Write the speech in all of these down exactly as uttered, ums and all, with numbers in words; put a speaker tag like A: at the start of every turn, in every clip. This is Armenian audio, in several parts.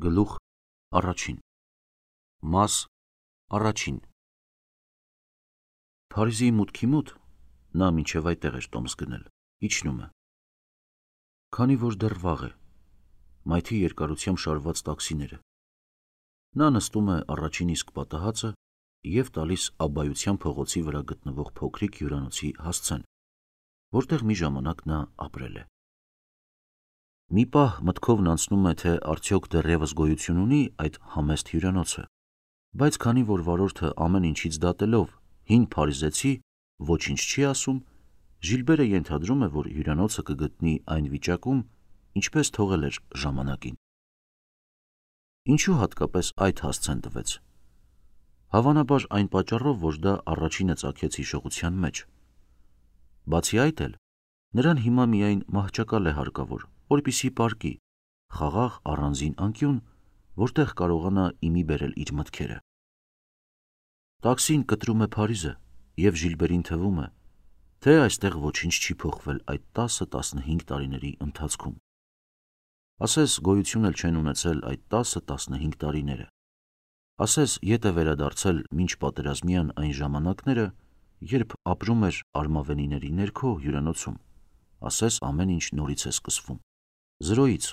A: Գլուխ առաջին Մաս առաջին Փարիզի մուտքի մոտ նա մինչև այդտեղ էր տոմս գնել, իջնում է։ Քանի որ դեռ վաղ է, մայթի երկարությամբ շարված տաքսիները։ Նա նստում է առաջին իսկ պատահածը և տալիս Աբբայության փողոցի վրա գտնվող փոքրիկ հյուրանոցի հասցեն, որտեղ մի ժամանակ նա ապրել է։ Մի պահ մտքովն անցնում է, թե արդյոք դեռևս գոյություն ունի այդ համեստ հյուրանոցը, բայց քանի որ վարորդը ամեն ինչից դատելով հին փարիզեցի ոչինչ չի ասում, Ժիլբերը ենթադրում է, որ հյուրանոցը կգտնի այն վիճակում, ինչպես թողել էր ժամանակին։ Ինչու հատկապես այդ հասցեն տվեց։ Հավանաբար այն պատճառով, որ դա առաջինը ծագեց հիշողության մեջ։ Բացի այդ էլ, նրան հիմա միայն մահճակալ է հարկավոր, որպեսզի պառկի, խաղաղ առանձին անկյուն, որտեղ կարողանա իմի բերել իր մտքերը։ Տաքսին կտրում է Փարիզը, և Ժիլբերին թվում է, թե այստեղ ոչինչ չի փոխվել այդ տասը-տասնհինգ տարիների ընթացքում։ Ասես գոյություն էլ չեն ունեցել այդ տասը-տասնհինգ տարիները։ Ասես ետ է վերադարձել մինչ պատերազմյան այն ժամանակները, երբ ապրում էր արմավենիների ներքո հյուրանոցում, ասես ամեն ինչ նորից է սկսվում, զրոյից։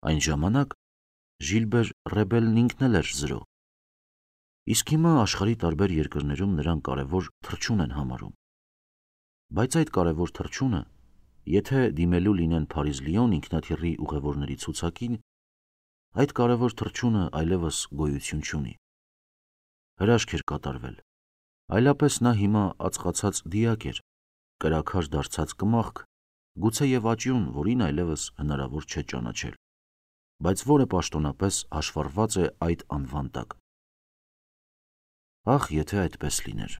A: Այն ժամանակ Ժիլբեր Ռեբելն ինքն էլ էր զրո։ Իսկ հիմա աշխարհի տարբեր երկրներում նրան կարևոր թռչուն են համարում։ Բայց այդ կարևոր թռչունը, եթե դիմելու լինեն Փարիզ-Լիոն ինքնաթիռի ուղևորների ցուցակին, այդ կարևոր թռչունը այլևս գոյություն չունի։ Հրաշք էր կատարվել, այլապես նա հիմա ածխացած դիակ էր, կրաքար դարձած կմախք, գուցեև աճյուն, որին այլևս հնարավոր չէ ճանաչել, բայց որը պաշտոնապես հաշվառված է այդ անվան տակ։ Ախ, եթե այդպես լիներ։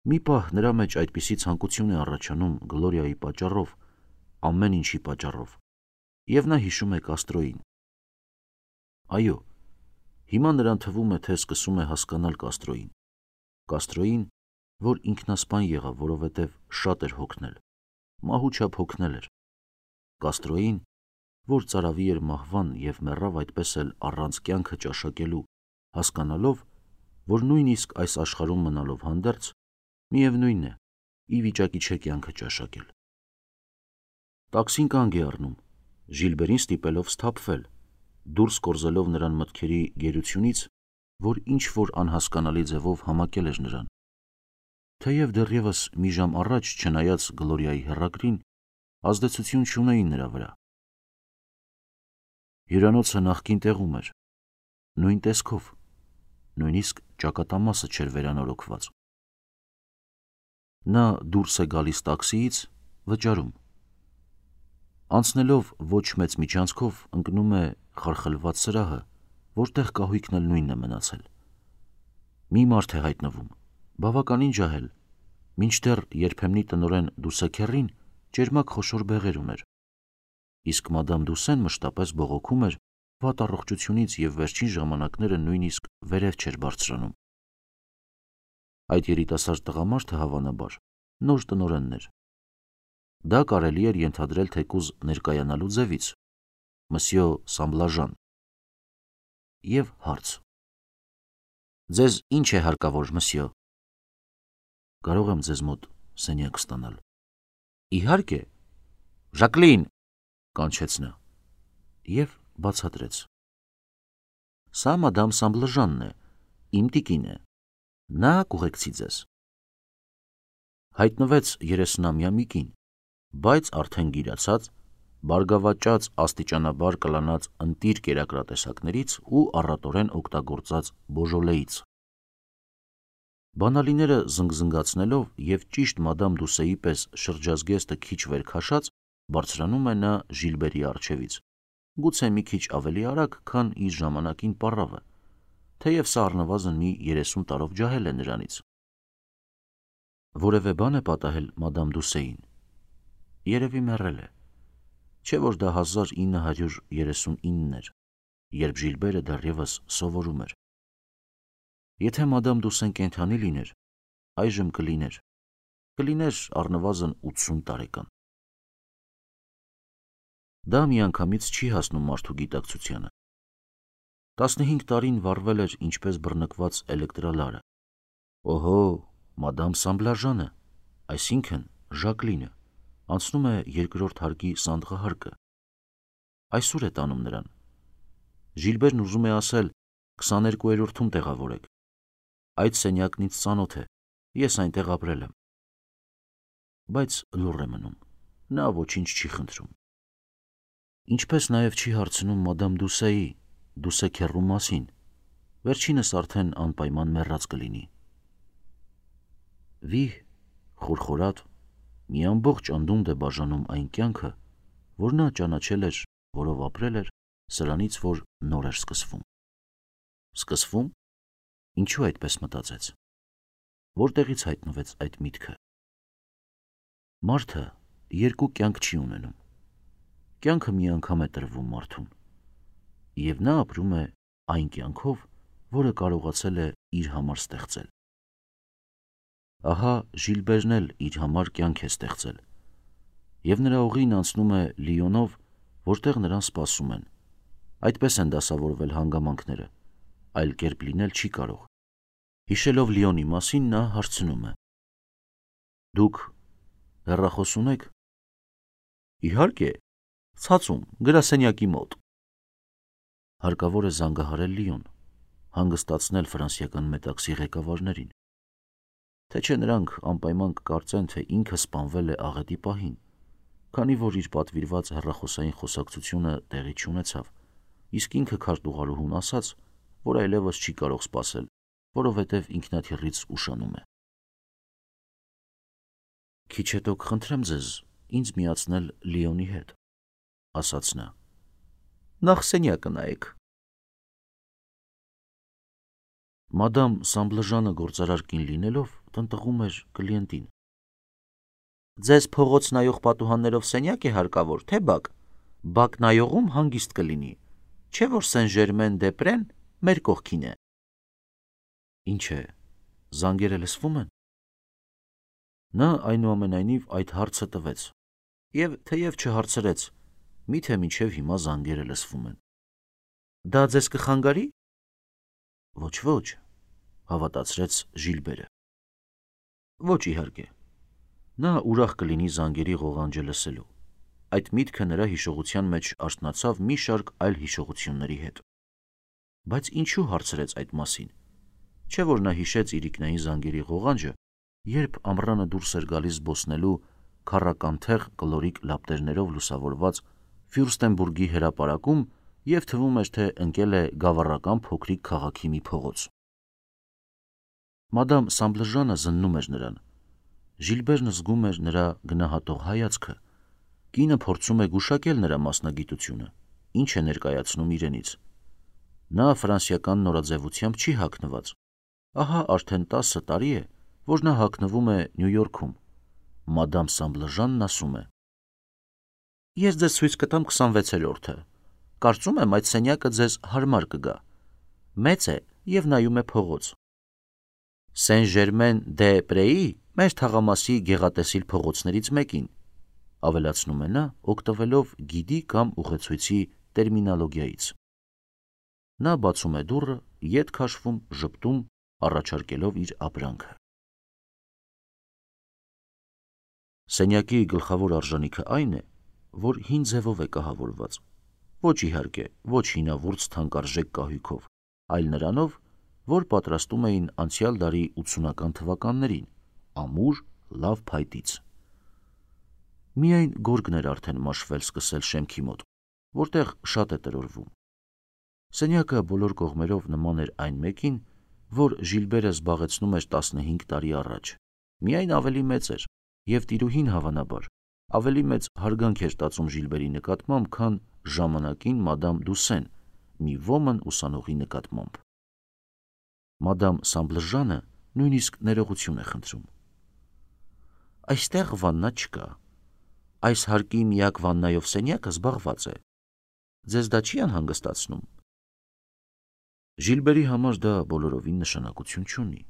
A: Մի պահ նրա մեջ այդպիսի ցանկություն է առաջանում Գլորիայի պատճառով, ամեն ինչի պատճառով, և նա հիշում է Կաստրոյին։ Այո, հիմա նրան թվում է, թե սկսում է հասկանալ Կաստրոյին։ Կաստրոյին, որ ինքնասպան եղավ, որովհետև շատ էր հոգնել, մահու չափ հոգնել էր։ Կաստրոյին, որ ծարավի էր մահվան և մեռավ այդպես էլ առանց կյանքը ճաշակելու, հասկանալով, որ նույնիսկ այս աշխարհում մնալով հանդերձ, միևնույն է, ի վիճակի չէ կյանքը ճաշակել։ Տաքսին կանգ է առնում, Ժիլբերին ստիպելով սթափվել, դուրս կորզելով նրան մտքերի գերությունից, որ ինչ-որ անհասկանալի ձևով համակել էր նրան։ Թեև դեռևս մի ժամ առաջ, չնայած Գլորիայի հեռագրին, ազդեցություն չունեին նրա վրա։ Հյուրանոցը նախկին տեղում էր, նույն տեսքով, նույնիսկ ճակատամասը չէր վերանորոգված։ Նա դուրս է գալիս տաքսիից, վճարում։ Անցնելով ոչ մեծ միջանցքով ընկնում է խարխլված սրահը, որտեղ կահույքն էլ նույնն է մնացել։ Մի մարդ է հայտնվում, բավականին ջահել, մինչդեռ երբեմնի տնօրեն Դուսեքեռին ճերմակ խոշոր բեղեր ուներ, իսկ մադամ Դուսեն մշտապես բողոքում էր վատ առողջությունից և վերջին ժամանակները նույնիսկ վերև չէր բարձրանում։ Այդ երիտասարդ տղամարդը, հավանաբար, նոր տնօրենն էր։ Դա կարելի էր ենթադրել թեկուզ ներկայանալու ձևից, Մսյո Սամբլաժան։ Եվ հարց. Ձեզ ինչ է հարկավոր, Մսյո։ Կարող եմ ձեզ մոտ սենյակ ստանալ։ Իհարկե, Ժակլին, կանչեց նա և բացատրեց. Սա մադամ Սամբլաժանն է, իմ տիկին է, նա կուղեկցի ձեզ։ Հայտնվեց երեսնամյա մի կին, բայց արդեն գիրացած, բարգավաճած աստիճանաբար կլանած ընտիր կերակրատեսակներից ու առատորեն օգտագործած բոժոլեից։ Բանալիները զնգզնգացնելով և ճիշտ մադամ Դուսեի պես շրջազգեստը քիչ վեր քաշած, բարձրանում է նա Ժիլբերի առջևից, գուցե մի քիչ ավելի արագ, քան իր ժամանակին պառավը, թեև սա առնվազն մի երեսուն տարով ջահել է նրանից։ Որևէ բան է պատահել մադամ Դուսեին։ Երևի մեռել է, չէ որ դա հազար ինը հարյուր երեսունինն էր, երբ Ժիլբերը դեռևս սովորում էր։ Եթե մադամ Դուսեն կենդանի լիներ, այժմ կլիներ, կլիներ առնվազն ութսուն տարեկան։ Դա միանգամից չի հասնում մարդու գիտակցությանը, տասնհինգ տարին վառվել էր ինչպես բռնկված էլեկտրալարը։ Օհո, մադամ Սամբլաժանը, այսինքն Ժակլինը, անցնում է երկրորդ հարկի սանդղահարկը։ Այսօր է տանում նրան։ Ժիլբերն ուզում է ասել քսաներկուերորդում տեղավորեք։ Այդ սենյակն ինձ ծանոթ է, ես այնտեղ ապրել եմ։ Բայց լուռ է մնում, նա ոչինչ չի խնդրում։ Ինչպես նաև չի հարցնում մադամ Դուսեի, Դուսեքեռու մասին, վերջինս արդեն անպայման մեռած կլինի։ Վիհ, խորխորատ, մի ամբողջ անդունդ է բաժանում այն կյանքը, որ նա ճանաչել էր, որով ապրել էր, սրանից, որ նոր էր սկսվում։ Սկսվում։ Ինչու այդպես մտածեց։ Որտեղից հայտնվեց այդ միտքը։ Մարդը երկու կյանք չի ունենում։ Կյանքը մի անգամ է տրվում մարդուն, և նա ապրում է այն կյանքով, որը կարողացել է իր համար ստեղծել։ Ահա Ժիլբերն էլ իր համար կյանք է ստեղծել, և նրա ուղին անցնում է Լիոնով, որտեղ նրան սպասում են։ Այդպես են դասավորվել հանգամանքները, այլ կերպ լինել չի կարող։ Հիշելով Լիոնի մասին, նա հարցնում է. Դուք հեռախոս ունեք։ Իհարկե, ցածում, գրասենյակի մոտ։ Հարկավոր է զանգահարել Լիոն, հանգստացնել ֆրանսիական մետաքսի ղեկավարներին, թե չէ նրանք անպայման կկարծեն, թե ինքը սպանվել է աղետի պահին, քանի որ իր պատվիրված հեռախոսային խոսակցությունը տեղի չունեցավ, իսկ ինքը քարտուղարուհուն ասաց, որ այլևս չի կարող սպասել, որովհետև ինքնաթիռից ուշանում է։ Քիչ հետո կխնդրեմ ձեզ ինձ միացնել Լիոնի հետ, ասաց նա։ Նախ սենյակը նայեք։ Մադամ Սամբլժանը գործարար կին լինելով տնտղում էր կլիենտին։ Ձեզ փողոց նայող պատուհաններով սենյակ է հարկավոր, թե բակ։ Բակ նայողում հանգիստ կլինի, չէ որ Սեն Ժերմեն Դեպրեն մեր կողքին է։ Ինչ է, զանգերը լսվում են։ Նա այնուամենայնիվ այդ հարցը տվեց, և թեև չհարցրեց, միթե մինչև հիմա զանգերը լսվում են։ Դա ձեզ կխանգարի։ Ոչ, ոչ, հավատացրեց Ժիլբերը։ Ոչ իհարկե։ Նա ուրախ կլինի զանգերի ղողանջը լսելու։ Այդ միտքը նրա հիշողության մեջ արթնացավ մի շարք այլ հիշողությունների հետ։ Բայց ինչու հարցրեց այդ մասին։ Չէ որ նա հիշեց իրիկնային զանգերի ղողանջը, երբ ամռանը դուրս էր գալիս զբոսնելու քառականթեղ կլորիկ լապտերներով լուսավորված Ֆյուրստենբուրգի հրապարակում և թվում էր, թե ընկել է գավառական փոքրիկ քաղաքի մի փողոց։ Մադամ Սամբլժանը զննում էր նրան։ Ժիլբերն զգում էր նրա գնահատող հայացքը։ Կինը փորձում է գուշակել նրա մասնագիտությունը, ինչ է ներկայացնում իրենից։ Նա ֆրանսիական նորաձևությամբ չի հագնված։ Ահա արդեն տասը տարի է, որ նա հագնվում է Նյու Յորքում։ Մադամ Սամբլժանն ասում է. Ես ձեզ ցույց կտամ քսանվեցերորդը։ Կարծում եմ այդ սենյակը ձեզ հարմար կգա։ Մեծ է և նայում է փողոց։ Սեն Ժերմեն դե Պրեի մեր թաղամասի գեղատեսիլ փողոցներից մեկին, ավելացնում է նա, օգտվելով գիդի կամ ուղեցույցի տերմինոլոգիայից։ Նա բացում է դուռը, ետ քաշվում, ժպտում, առաջարկելով իր ապրանքը։ Սենյակի գլխավոր արժանիքը այն է, որ հին ձևով է կահավորված, ոչ իհարկե, ոչ հինավուրց թանկարժեք կահույքով, այլ նրանով, որ պատրաստում էին անցյալ դարի ութսունական թվականներին, ամուր, լավ փայտից։ Միայն գորգն էր արդեն մաշվել սկսել շեմքի մոտ, որտեղ շատ է տրորվում։ Սենյակը բոլոր կողմերով նման էր այն մեկին, որ Ժիլբերը զբաղեցնում էր տասնհինգ տարի առաջ, միայն ավելի մեծ էր, և տիրուհին հավանաբար ավելի մեծ հարգանք էր տածում Ժիլբերի նկատմամբ, քան ժամանակին մադամ Դուսեն մի ոմն ուսանողի նկատմամբ։ Մադամ Սամբլժանը նույնիսկ ներողություն է խնդրում։ Այստեղ վաննա չկա։ Այս հարկի միակ վաննայով սենյակը զբաղված է։ Ձեզ դա չի անհանգստացնում։ Ժիլբերի համար դա բոլորովին նշանակություն չունի։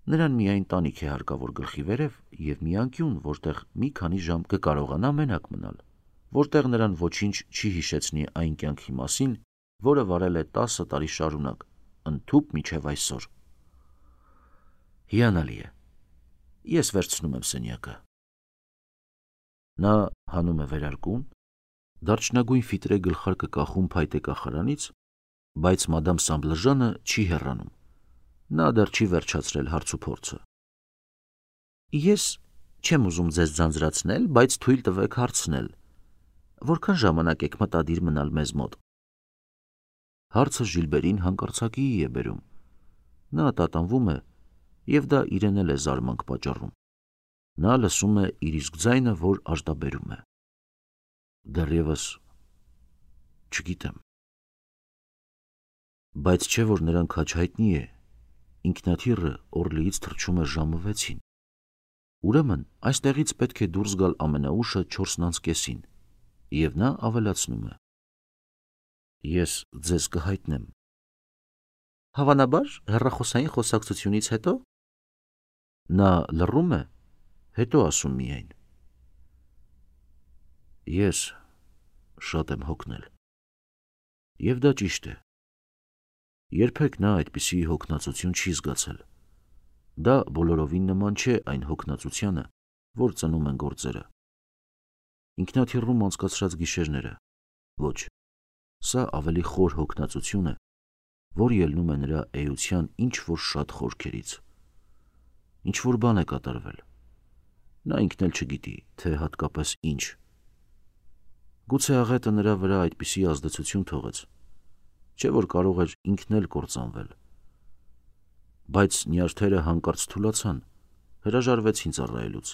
A: Նրան միայն տանիք է հարկավոր գլխի վերև և մի անկյուն, որտեղ մի քանի ժամ կկարողանա մենակ մնալ, որտեղ նրան ոչինչ չի հիշեցնի այն կյանքի մասին, որը վարել է տասը տարի շարունակ, ընդհուպ մինչև այսօր։ Հիանալի է։ Ես վերցնում եմ սենյակը։ Նա հանում է վերարկուն, դարչնագույն ֆիտրե գլխարկը կախում փայտե կախարանից, բայց մադամ Սամբլժանը չի հեռանում։ Նա դեռ չի վերջացրել հարցուփորձը։ Ես չեմ ուզում ձեզ ձանձրացնել, բայց թույլ տվեք հարցնել. որքան ժամանակ եք մտադիր մնալ մեզ մոտ։ Հարցը Ժիլբերին հանկարծակիի է բերում։ Նա տատանվում է, եւ դա իրեն էլ է զարմանք պատճառում։ Նա լսում է իր իսկ ձայնը, որ արտաբերում է։ Դեռևս չգիտեմ։ Բայց չէ որ նրան քաջ հայտնի է, ինքնաթիռը Օրլիից թռչում է ժամը վեցին։ Ուրեմն այստեղից պետք է դուրս գալ ամենաուշը չորսն անց կեսին, եւ նա ավելացնում է. Ես ձեզ կհայտնեմ։ Հավանաբար հեռախոսային խոսակցությունից հետո։ Նա լռում է, հետո ասում միայն. Ես շատ եմ հոգնել։ Եվ դա ճիշտ է։ Երբեք նա այդպիսի հոգնածություն չի զգացել։ Դա բոլորովին նման չէ այն հոգնածությանը, որ ծնում են գործերը։ Ինքնաթիռում անցկացրած գիշերները, ոչ, սա ավելի խոր հոգնածություն է, որ ելնում է նրա էության ինչ-որ շատ խորքերից։ Ինչ-որ բան է կատարվել։ Նա ինքն էլ չգիտի, թե հատկապես ինչ։ Գուցե աղետը նրա վրա այդպիսի ազդեցություն թողեց, չէ որ կարող էր ինքն էլ կործանվել։ Բայց նյարդերը հանկարծ թուլացան, հրաժարվեցին ծառայելուց,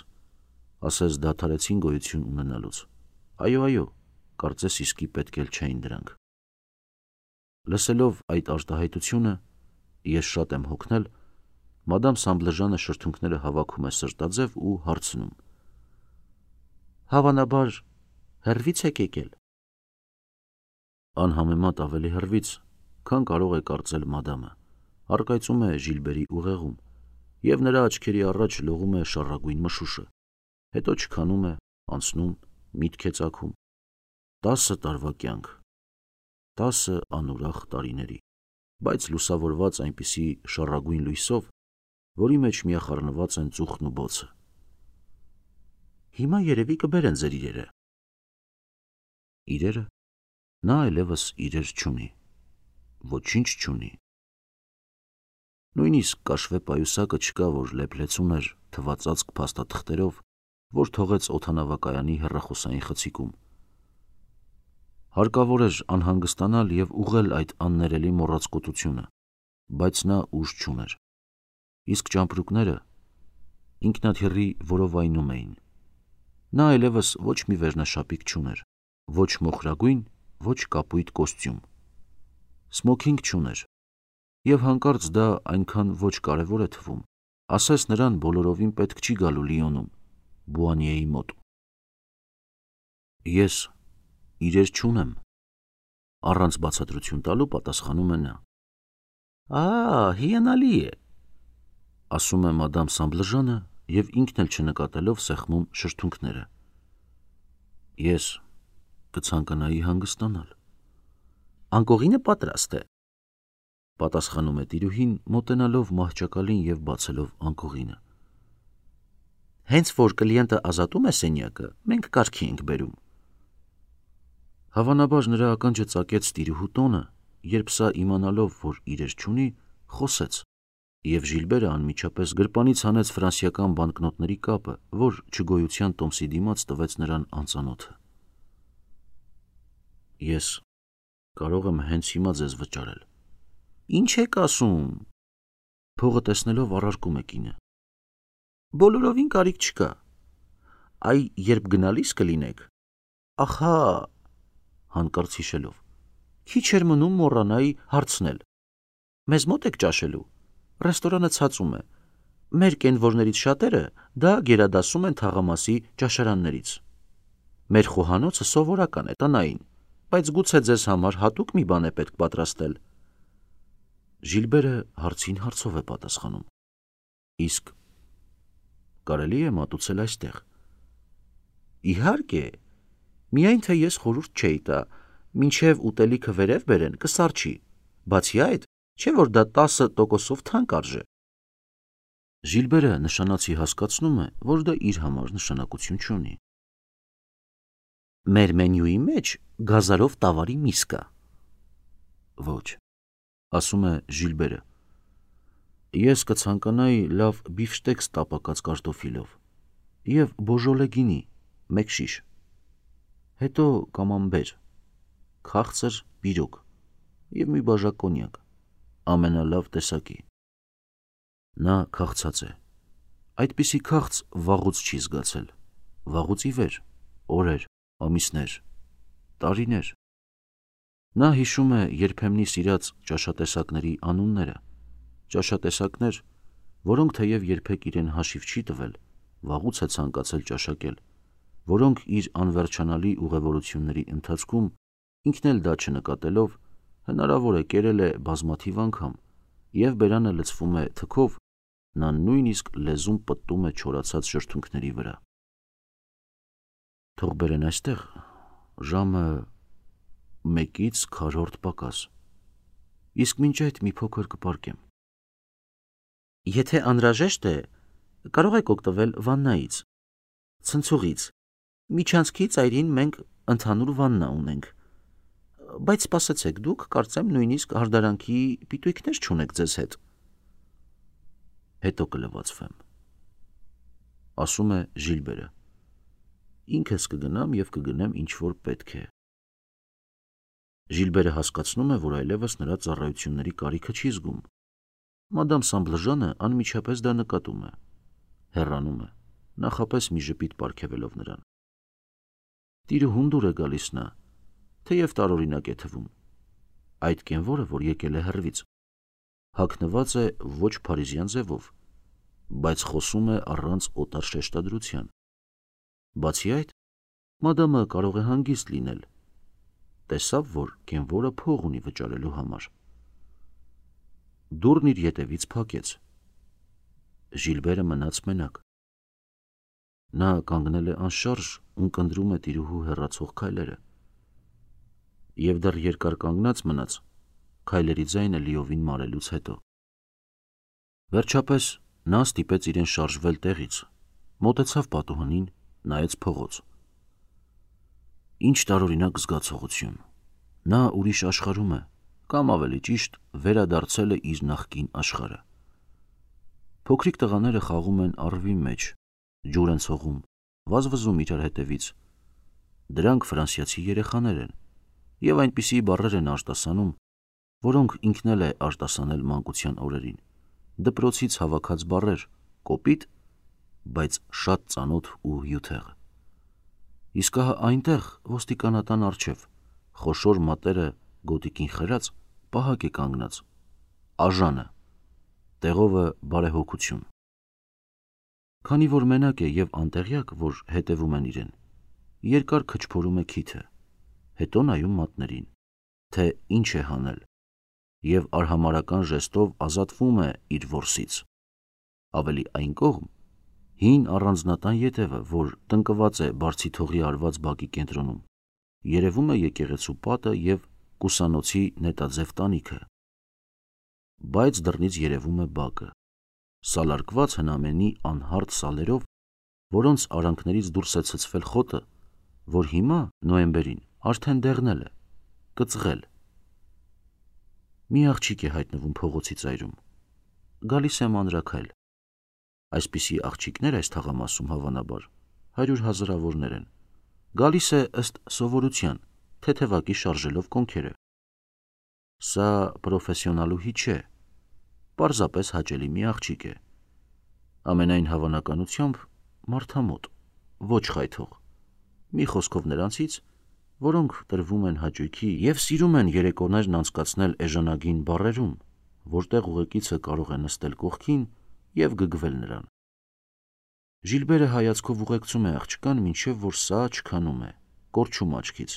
A: ասես դադարեցին գոյություն ունենալուց։ Այո, այո, կարծես իսկի պետք էլ չէին դրանք։ Լսելով այդ արտահայտությունը, ես շատ եմ հոգնել, մադամ Սամբլժանը շրթունքները հավաքում է սրտաձև ու հարցնում. Հավանաբար հեռվից եք եկել։ Անհամեմատ ավելի հեռվից, քան կարող է կարծել մադամը, առկայծում է Ժիլբերի ուղեղում, եւ նրա աչքերի առաջ լողում է շառագույն մշուշը, հետո չքանում է, անցնում, միտք է ծագում։ Տասը տարվա կյանք, տասը անուրախ տարիների, բայց լուսավորված այնպիսի շառագույն լույսով, որի մեջ միախառնված են ծուխն ու բոցը։ Հիմա երևի կբերեն ձեր իրերը։ Իրերը։ Նա այլևս իրեր չունի, ոչինչ չունի։ Նույնիսկ կաշվե պայուսակը չկա, որ լեփլեցուն էր թվածածկ փաստաթղթերով, որ թողեց օդանավակայանի հեռախոսային խցիկում։ Հարկավոր էր անհանգստանալ եւ ուղղել այդ աններելի մոռացկոտությունը, բայց նա ուժ չուներ։ Իսկ ճամպրուկները ինքնաթիռի որովայնում էին։ Նա այլևս ոչ մի վերնաշապիկ չուներ, ոչ մոխրագույն, ոչ կապույտ կոստյում։ Սմոքինգ չուներ, եւ հանկարծ դա այնքան ոչ կարևոր է թվում, ասես նրան բոլորովին պետք չի գալու Լիոնում, Բուանիեի մոտ։ Ես իրեր չունեմ, առանց բացատրություն տալու պատասխանում է նա։ Ա, հիանալի է, ասում է մադամ Սամբլժանը եւ ինքն էլ չնկատելով սեղմում շրթունքները։ Ես կցանկանայի հանգստանալ։ Անկողինը պատրաստ է, պատասխանում է տիրուհին, մոտենալով մահճակալին եւ բացելով անկողինը։ Հենց որ կլիենտը ազատում է սենյակը, մենք կարգի ենք բերում։ Հավանաբար նրա ականջը ծակեց տիրուհու տոնը, երբ սա իմանալով, որ իրեր չունի, խոսեց, եւ Ժիլբերը անմիջապես գրպանից հանեց ֆրանսիական բանկնոտների կապը, որ չգոյության տոմսի դիմաց տվեց նրան անծանոթը։ Ես կարող եմ հենց հիմա ձեզ վճարել։ Ինչ եք ասում։ Փողը տեսնելով առարկում է կինը։ Բոլորովին կարիք չկա։ Այ երբ գնալիս կլինեք։ Ախա, հանկարծ հիշելով։ Քիչ էր մնում մոռանայի հարցնել։ Մեզ մոտ եք ճաշելու։ Ռեստորանը ցածում է։ Մեր կենվորներից շատերը դա գերադասում են թաղամասի ճաշարաններից։ Մեր խոհանոցը սովորական է, տնային, բայց գուցե ձեզ համար հատուկ մի բան է պետք պատրաստել։ Ժիլբերը հարցին հարցով է պատասխանում։ Իսկ կարելի է մատուցել այստեղ։ Իհարկե, միայն թե ես խորհուրդ չէի տա, մինչև ուտելիքը վերև բերեն, կսարչի, բացի այդ, չէ որ դա տասը տոկոսով թանկ արժե։ Ժիլբերը նշանացի հասկացնում է, որ դա իր համար նշանակություն չունի։ Մեր մենյուի մեջ գազարով տավարի միս կա։ Ոչ, ասում է Ժիլբերը, ես կցանկանայի լավ բիֆշտեքս տապակած կարտոֆիլով և բոժոլե գինի, մեկ շիշ, հետո կամամբեր, քաղցր պիրոգ և մի բաժակ կոնյակ, ամենալավ տեսակի։ Նա քաղցած է, այդպիսի քաղց վաղուց չի զգացել, վաղուց ի վեր, օրեր, ամիսներ, տարիներ։ Նա հիշում է երբեմնի սիրած ճաշատեսակների անունները, ճաշատեսակներ, որոնք թեև երբեք իրեն հաշիվ չի տվել, վաղուց է ցանկացել ճաշակել, որոնք իր անվերջանալի ուղևորությունների ընթացքում ինքն էլ դա չնկատելով հնարավոր է կերել է բազմաթիվ անգամ և բերանը լցվում է թքով, նա նույնիսկ լեզուն պտտում է չորացած շրթունքների վրա։ Թող բերեն այստեղ, ժամը մեկից քառորդ պակաս, իսկ մինչ այդ մի փոքր կպարկեմ։ Եթե անհրաժեշտ է, կարող եք օգտվել վաննայից, ցնցուղից, միջանցքի ծայրին մենք ընդհանուր վաննա ունենք, բայց սպասեցեք, դուք կարծեմ նույնիսկ հարդարանքի պիտույքներ չունեք ձեզ հետ։ Հետո կլվացվեմ, ասում է Ժիլբերը, ինքս կգնամ և կգնեմ ինչ որ պետք է։ Ժիլբերը հասկացնում է, որ այլևս նրա ծառայությունների կարիքը չի զգում։ Մադամ Սամբլժանը անմիջապես դա նկատում է, հեռանում է, նախապես մի ժպիտ պարգևելով նրան։ Տիրուհուն դուր է գալիս նա, թեև տարօրինակ է թվում, այդ կենվորը, որ եկել է հեռվից, հագնված է ոչ փարիզյան ձևով, բայց խոսում է առանց օտար շեշտադրության։ Բացի այդ, մադամը կարող է հանգիստ լինել, տեսավ, որ կենվորը փող ունի վճարելու համար։ Դուռն իր ետևից փակեց։ Ժիլբերը մնաց մենակ։ Նա կանգնել է անշարժ, ունկնդրում է տիրուհու հեռացող քայլերը և դեռ երկար կանգնած մնաց, քայլերի ձայնը լիովին մարելուց հետո։ Վերջապես նա ստիպեց իրեն շարժվել տեղից, մոտեցավ պատուհանին, նայեց փողոց։ Ինչ տարօրինակ զգացողություն, նա ուրիշ աշխարհում է, կամ ավելի ճիշտ վերադարձել է իր նախկին աշխարհը։ Փոքրիկ տղաները խաղում են առվի մեջ, ջուր են ցողում, վազվզում իրար հետևից։ Դրանք ֆրանսիացի երեխաներ են և այնպիսի բառեր են արտասանում, որոնք ինքն էլ է արտասանել մանկության օրերին, դպրոցից հավաքած բառեր, կոպիտ, բայց շատ ծանոթ ու հյութեղ։ Իսկ ահա այնտեղ, ոստիկանատան առջև, խոշոր մատերը գոտիքին խրած, պահակ է կանգնած, աժանը, տեղովը բարեհոգություն։ Քանի որ մենակ է և անտեղյակ, որ հետևում են իրեն, երկար քչփորում է քիթը, հետո նայում մատներին, թե ինչ է հանել, և արհամարհական ժեստով ազատվում է իր որսից։ Ավելի այն կողմ, հին առանձնատան ետևը, որ տնկված է բարձիթողի արված բակի կենտրոնում, երևում է եկեղեցու պատը և կուսանոցի նետաձև տանիքը, բայց դռնից երևում է բակը, սալարկված հնամենի անհարթ սալերով, որոնց արանքներից դուրս է ցցվել խոտը, որ հիմա, նոյեմբերին, արդեն դեղնել է, կծղել։ Մի աղջիկ է հայտնվում փողոցի ծայրում, գալիս է մանրաքայլ։ Այսպիսի աղջիկներ այս թաղամասում հավանաբար հարյուր հազարավորներ են, գալիս է ըստ սովորության, թեթևակի շարժելով կոնքերը։ Սա պրոֆեսիոնալուհի չէ, պարզապես հաճելի մի աղջիկ է, ամենայն հավանականությամբ մարդամոտ, ոչ խայթող, մի խոսքով նրանցից, որոնք տրվում են հաճույքի և սիրում են երեկոներն անցկացնել էժանագին բարերում, որտեղ ուղեկիցը կարող է նստել կողքին և գգվել նրան։ Ժիլբերը հայացքով ուղեկցում է աղջկան, մինչև որ սա չքանում է, կորչում աչքից։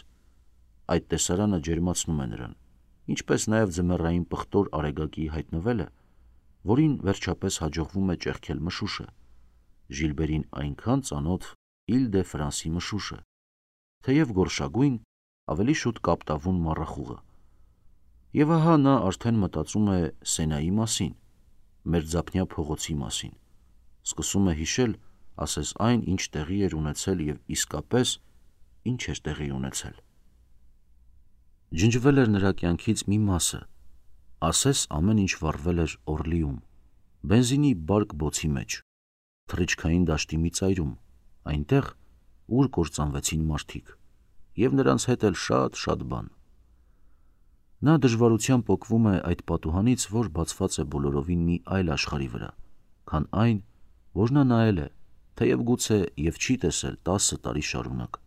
A: Այդ տեսարանը ջերմացնում է նրան, ինչպես նաև ձմեռային պղտոր արեգակի հայտնվելը, որին վերջապես հաջողվում է ճեղքել մշուշը, Ժիլբերին այնքան ծանոթ Իլ դե Ֆրանսի մշուշը, թեև գորշագույն, ավելի շուտ կապտավուն մառախուղը։ Եվ ահա նա արդեն մտածում է Սենայի մասին, մերձափնյա փողոցի մասին, սկսում է հիշել, ասես այն, ինչ տեղի էր ունեցել և իսկապես ինչ էր տեղի ունեցել։ Ջնջվել էր նրա կյանքից մի մասը, ասես ամեն ինչ վառվել էր Օրլիում, բենզինի բարկ բոցի մեջ, թռիչքային դաշտի մի ծայրում, այնտեղ, ուր կործանվեցին մարդիկ, և նրանց հետ էլ շատ-շատ բան։ Նա դժվարությամբ պոկվում է այդ պատուհանից, որ բացված է բոլորովին մի այլ աշխարհի վրա, քան այն, որ նա նայել է, թեև գուցե և չի տեսել տասը տարի շարունակ։